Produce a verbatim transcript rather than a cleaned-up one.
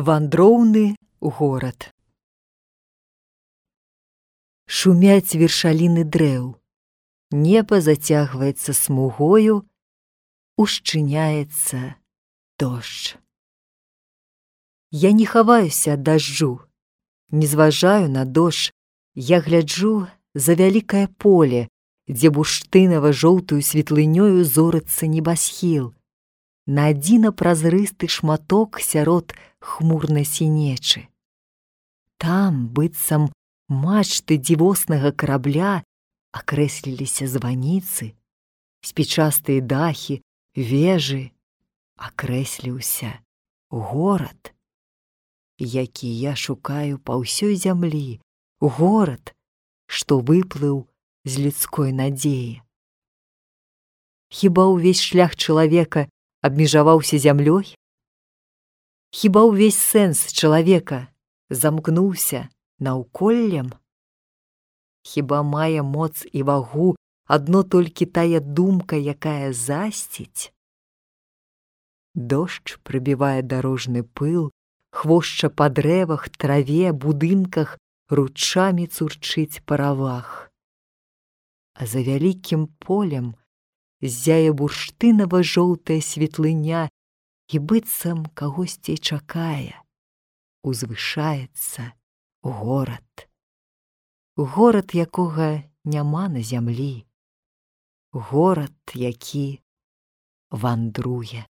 Вандроўны горад. Шумяць вершаліны дрэў, неба зацягваецца смугою, ушчыняецца дождж. Я не хаваюся ад дажджу, не зважаю на дождж, я гляджу за вялікае поле, дзе бурштынава-жоўтую светлынёю зорыцца небасхіл, на адзіна празрысты шматок сярод хмурнай сінечы. Там, быццам мачты дзівоснага карабля, акрэсліліся званіцы, спічастыя дахі, вежы, акрэсліўся горад, які я шукаю па ўсёй зямлі, горад, што выплыў з людской надзеі. Хіба ўвесь шлях чалавека абмежаваўся зямлёй? Хіба ўвесь сэнс чалавека замкнуўся наўколлем? Хіба мае моц і вагу адно толькі тая думка, якая засціць? Дождж прыбівае дарожны пыл, хвошча па дрэвах, траве, будынках, ручамі цурчыць паравах. А за вялікім полем ззяе бурштынава-жоўтая светлыня і быццам кагосьці чакае. Узвышаецца горад. Горад, якога няма на зямлі. Горад, які вандруе.